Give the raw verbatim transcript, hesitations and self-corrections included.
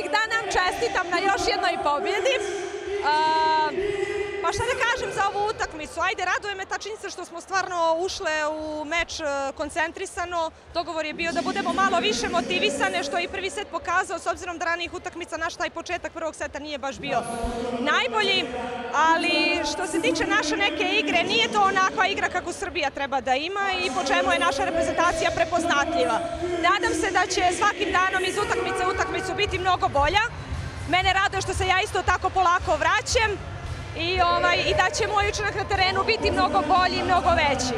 bih da nam čestitam na još jednoj pobjedi. Pa šta da kažem za ovu utakmicu? Ajde, raduje me ta činjenica što smo stvarno ušle u meč koncentrisano. Dogovor je bio da budemo malo više motivisane, što je i prvi set pokazao, s obzirom da ranijih utakmica naš taj početak prvog seta nije baš bio najbolji. Ali što se tiče naše neke igre, nije to onakva igra kako Srbija treba da ima i po čemu je naša reprezentacija prepoznatljiva. Nadam se da će svakim danom iz utakmice u utakmicu biti mnogo bolja. Mene raduje što se ja isto tako polako vraćam i da će moj učinak na terenu biti mnogo bolji i mnogo veći.